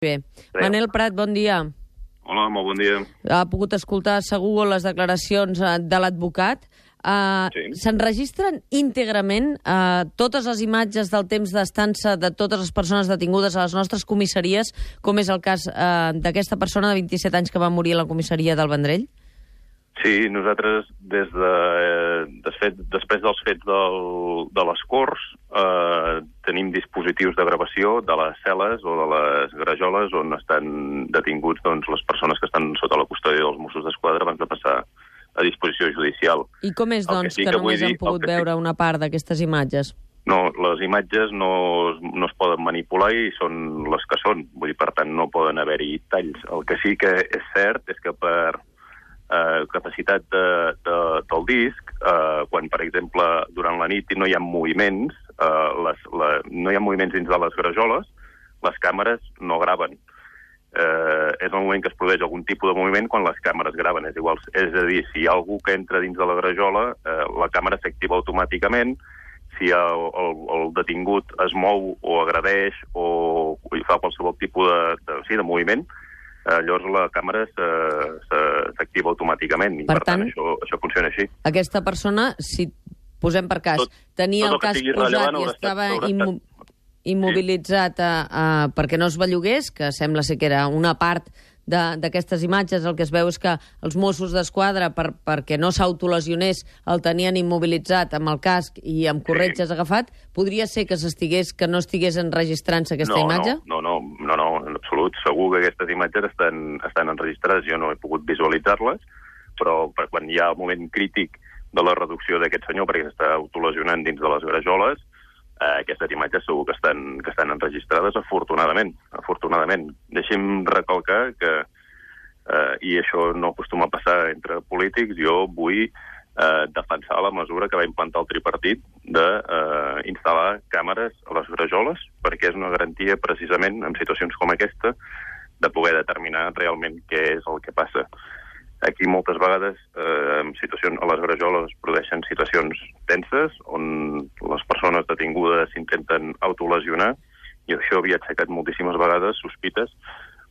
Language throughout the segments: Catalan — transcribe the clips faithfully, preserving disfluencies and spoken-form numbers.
Bé. Manel Prat, bon dia. Hola, molt bon dia. Ha pogut escoltar segur les declaracions de l'advocat. Uh, Sí. S'enregistren íntegrament uh, totes les imatges del temps d'estança de totes les persones detingudes a les nostres comissaries, com és el cas uh, d'aquesta persona de vint-i-set anys que va morir a la comissaria del Vendrell? Sí, nosaltres, des de, eh, desfet, després dels fets del, de les Corts, eh, tenim dispositius de gravació de les cel·les o de les grajoles on estan detinguts doncs, les persones que estan sota la custòdia dels Mossos d'Esquadra abans de passar a disposició judicial. I com és, doncs, que, que només han pogut veure una part d'aquestes imatges? No, les imatges no, no es poden manipular i són les que són. Vull dir, per tant, no poden haver-hi talls. El que sí que és cert és que per eh, capacitat de, de, del disc, eh, quan, per exemple, durant la nit no hi ha moviments, eh, les, la, no hi ha moviments dins de les grajoles, les càmeres no graven. Eh, és el moment que es produeix algun tipus de moviment quan les càmeres graven. És igual, és a dir, si hi ha algú que entra dins de la grajola, eh, la càmera s'activa automàticament. Si el, el, el detingut es mou o agredeix o, o fa qualsevol tipus de, de, sí, de moviment, eh, llavors la càmera s'activa automàticament. I, per, per tant, tant això, això funciona així. Aquesta persona, si posem per cas, tot, tenia tot el casc posat i estava immo immobilitzat sí. a, a, perquè no es bellugués, que sembla ser que era una part d'aquestes imatges, el que es veu és que els Mossos d'Esquadra, per, perquè no s'autolesionés, el tenien immobilitzat amb el casc i amb corretges sí. agafat, podria ser que s'estigués, que no estigués enregistrant-se aquesta no, imatge? No, no, no, no, en absolut. Segur que aquestes imatges estan, estan enregistrades, jo no he pogut visualitzar-les, però quan hi ha el moment crític de la reducció d'aquest senyor, perquè s'està autolesionant dins de les grajoles, Eh, aquestes imatges segur que estan, que estan enregistrades, afortunadament. afortunadament. Deixi'm recalcar que, eh, i això no acostuma a passar entre polítics, jo vull eh, defensar la mesura que va implantar el tripartit d'instal·lar eh, càmeres a les grajoles, perquè és una garantia, precisament, en situacions com aquesta, de poder determinar realment què és el que passa. Aquí moltes vegades eh, en situacions, a les grajoles es produeixen situacions tenses on les persones detingudes s'intenten autolesionar i això havia aixecat moltíssimes vegades sospites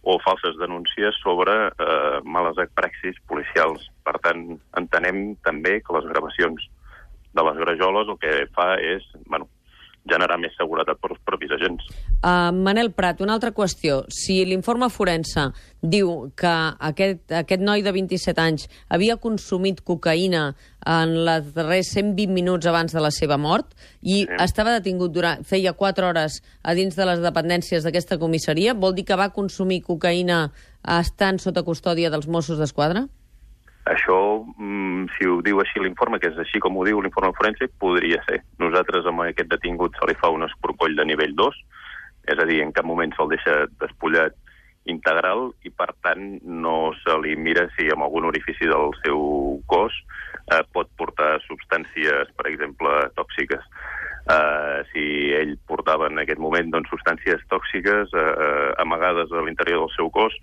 o falses denúncies sobre eh, males praxis policials. Per tant, entenem també que les gravacions de les grajoles el que fa és bueno, generar més seguretat per als propis agents. Uh, Manel Prat, una altra qüestió. Si l'informe forense diu que aquest, aquest noi de vint-i-set anys havia consumit cocaïna en les darrers cent vint minuts abans de la seva mort i sí. estava detingut durant, feia quatre hores a dins de les dependències d'aquesta comissaria, vol dir que va consumir cocaïna estant sota custòdia dels Mossos d'Esquadra? Això, si ho diu així l'informe, que és així com ho diu l'informe forense, podria ser. Nosaltres amb aquest detingut se li fa un escorcoll de nivell dos, és a dir, en cap moment se'l deixa despullat integral i, per tant, no se li mira si en algun orifici del seu cos eh, pot portar substàncies, per exemple, tòxiques. Eh, si ell portava en aquest moment doncs, substàncies tòxiques eh, amagades a l'interior del seu cos,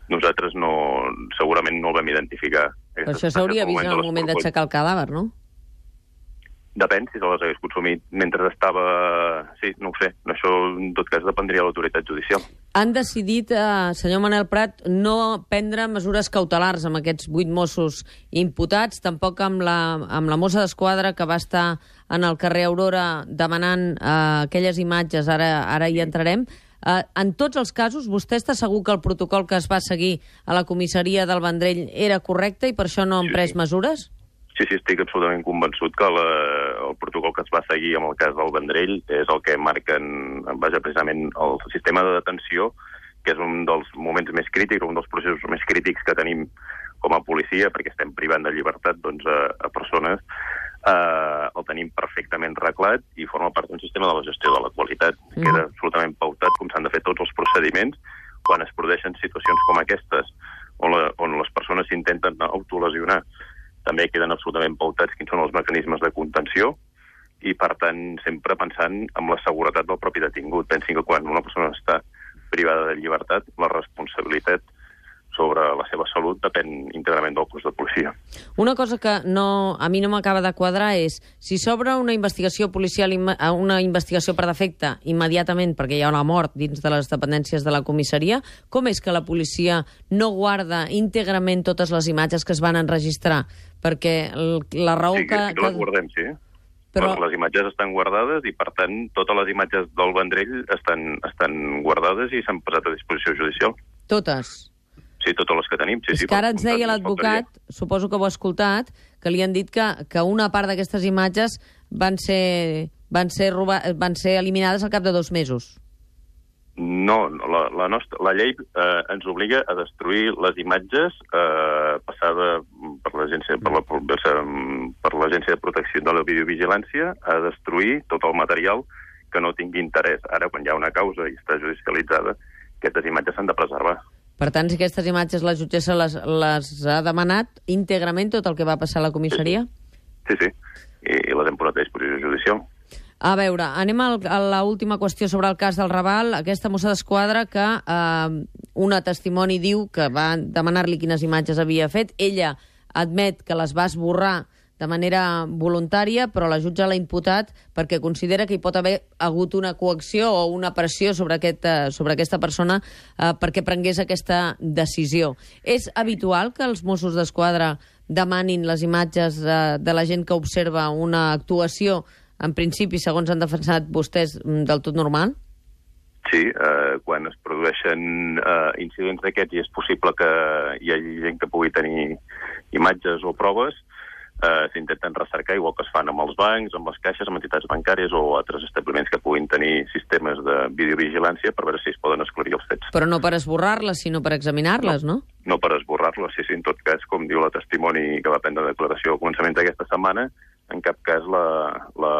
nosaltres no, segurament no el vam identificar. Però això s'hauria vist en el moment d'aixecar el cadàver, no? Depèn si se les hagués consumit mentre estava... Sí, no ho sé. Això, en tot cas, dependria de l'autoritat judicial. Han decidit, eh, senyor Manel Prat, no prendre mesures cautelars amb aquests vuit Mossos imputats, tampoc amb la, amb la mossa d'Esquadra que va estar en el carrer Aurora demanant eh, aquelles imatges, ara, ara hi entrarem. Uh, en tots els casos, vostè està segur que el protocol que es va seguir a la comissaria del Vendrell era correcte i per això no han pres sí. mesures? Sí, sí, estic absolutament convençut que la, el protocol que es va seguir en el cas del Vendrell és el que marquen, vaja, precisament el sistema de detenció, que és un dels moments més crítics, un dels processos més crítics que tenim com a policia, perquè estem privant de llibertat doncs, a, a persones, Uh, el tenim perfectament reglat i forma part d'un sistema de la gestió de la qualitat. Mm. Queda absolutament pautat com s'han de fer tots els procediments quan es produeixen situacions com aquestes, on, la, on les persones s'intenten autolesionar. També queden absolutament pautats quins són els mecanismes de contenció i, per tant, sempre pensant en la seguretat del propi detingut. Pensin que quan una persona està privada de llibertat, la responsabilitat sobre la seva salut depèn íntegrament del cos de policia. Una cosa que no, a mi no m'acaba de quadrar és, si s'obre una investigació policial, una investigació per defecte immediatament, perquè hi ha una mort dins de les dependències de la comissaria, com és que la policia no guarda íntegrament totes les imatges que es van enregistrar? Perquè la raó sí, que... Sí, que les guardem, sí. Però... Les imatges estan guardades i, per tant, totes les imatges del Vendrell estan, estan guardades i s'han posat a disposició judicial. Totes? Sí, totes les que tenim. Sí, és sí, que ara ens deia l'advocat, suposo que ho ha escoltat, que li han dit que, que una part d'aquestes imatges van ser, van, ser roba, van ser eliminades al cap de dos mesos. No, la, la, nostra, la llei eh, ens obliga a destruir les imatges eh, passada per l'agència per la, per l'Agència de Protecció de la Videovigilància, a destruir tot el material que no tingui interès. Ara, quan hi ha una causa i està judicialitzada, aquestes imatges s'han de preservar. Per tant, si aquestes imatges la jutgessa les, les ha demanat íntegrament tot el que va passar a la comissaria? Sí, sí, i les hem posat a disposició judicial. A veure, anem al, a l'última qüestió sobre el cas del Raval. Aquesta mossa d'esquadra que eh, una testimoni diu que va demanar-li quines imatges havia fet. Ella admet que les va esborrar de manera voluntària, però la jutge l'ha imputat perquè considera que hi pot haver hagut una coacció o una pressió sobre, aquest, sobre aquesta persona eh, perquè prengués aquesta decisió. És habitual que els Mossos d'Esquadra demanin les imatges eh, de la gent que observa una actuació, en principi, segons han defensat vostès, del tot normal? Sí, eh, quan es produeixen eh, incidents d'aquests i és possible que hi hagi gent que pugui tenir imatges o proves, eh, s'intenten recercar, igual que es fan amb els bancs, amb les caixes, amb entitats bancàries o altres establiments que puguin tenir sistemes de videovigilància per veure si es poden esclarir els fets. Però no per esborrar-les, sinó per examinar-les, no? No, no per esborrar-les, sí, sí, en tot cas, com diu la testimoni que va prendre declaració al començament d'aquesta setmana, en cap cas la, la,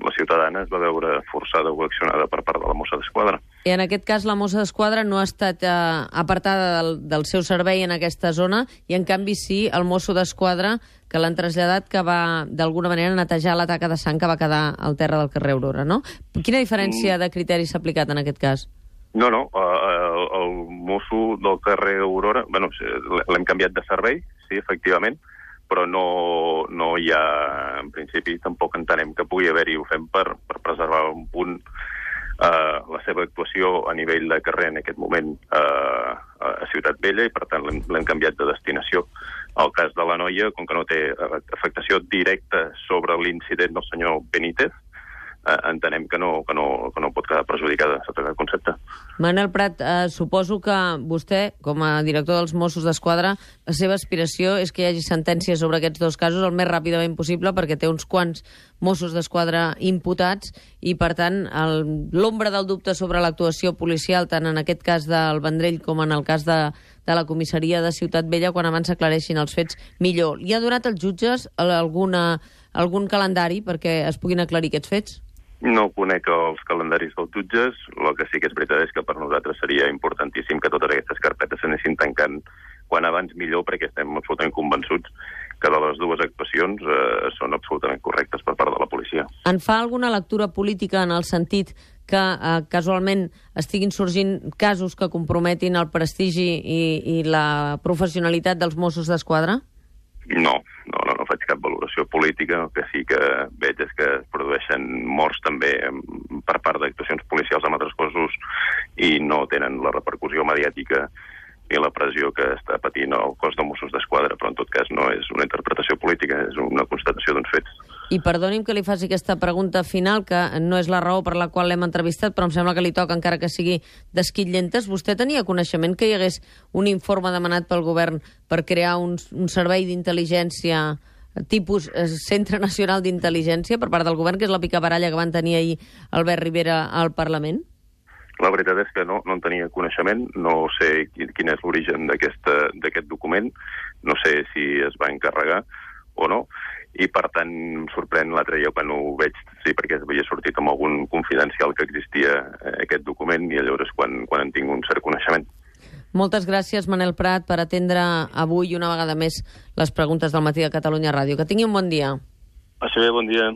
la ciutadana es va veure forçada o coaccionada per part de la mossa d'esquadra. I en aquest cas la mossa d'esquadra no ha estat eh, apartada del, del seu servei en aquesta zona i en canvi sí el mosso d'esquadra que l'han traslladat que va d'alguna manera netejar la taca de sang que va quedar al terra del carrer Aurora, no? Quina diferència de criteri s'ha aplicat en aquest cas? No, no, el, el mosso del carrer Aurora, bueno, l'hem canviat de servei, sí, efectivament, però no, no hi ha, en principi, tampoc entenem que pugui haver-hi, ho fem per, per preservar un punt eh, la seva actuació a nivell de carrer en aquest moment eh, a Ciutat Vella i, per tant, l'hem canviat de destinació. El cas de la noia, com que no té afectació directa sobre l'incident del senyor Benítez, eh, entenem que no, que, no, que no pot quedar perjudicada sota aquest concepte. Manel Prat, eh, suposo que vostè, com a director dels Mossos d'Esquadra, la seva aspiració és que hi hagi sentències sobre aquests dos casos el més ràpidament possible perquè té uns quants Mossos d'Esquadra imputats i, per tant, l'ombra del dubte sobre l'actuació policial, tant en aquest cas del Vendrell com en el cas de, de la comissaria de Ciutat Vella, quan abans s'aclareixin els fets, millor. Li ha donat als jutges alguna, algun calendari perquè es puguin aclarir aquests fets? No conec els calendaris dels jutges. El que sí que és veritat és que per nosaltres seria importantíssim que totes aquestes carpetes s'anessin tancant quan abans millor, perquè estem absolutament convençuts que de les dues actuacions eh, són absolutament correctes per part de la policia. En fa alguna lectura política en el sentit que eh, casualment estiguin sorgint casos que comprometin el prestigi i, i la professionalitat dels Mossos d'Esquadra? No, no, no, no faig cap valoració política. El que sí que veig és que es produeixen morts també per part d'actuacions policials amb altres cossos i no tenen la repercussió mediàtica ni la pressió que està patint el cos de Mossos d'Esquadra, però en tot cas no és una interpretació política, és una constatació d'uns fets. I perdoni'm que li faci aquesta pregunta final, que no és la raó per la qual l'hem entrevistat, però em sembla que li toca, encara que sigui d'esquitllentes. Vostè tenia coneixement que hi hagués un informe demanat pel govern per crear un, un servei d'intel·ligència tipus eh, Centre Nacional d'Intel·ligència per part del govern, que és la picabaralla que van tenir ahir Albert Rivera al Parlament? La veritat és que no, no en tenia coneixement, no sé quin és l'origen d'aquest document, no sé si es va encarregar o no, i per tant em sorprèn l'altre dia quan ho veig, sí, perquè havia sortit amb algun confidencial que existia eh, aquest document i llavors quan, quan en tinc un cert coneixement. Moltes gràcies, Manel Prat, per atendre avui una vegada més les preguntes del Matí de Catalunya Ràdio. Que tingui un bon dia. Així bé, bon dia.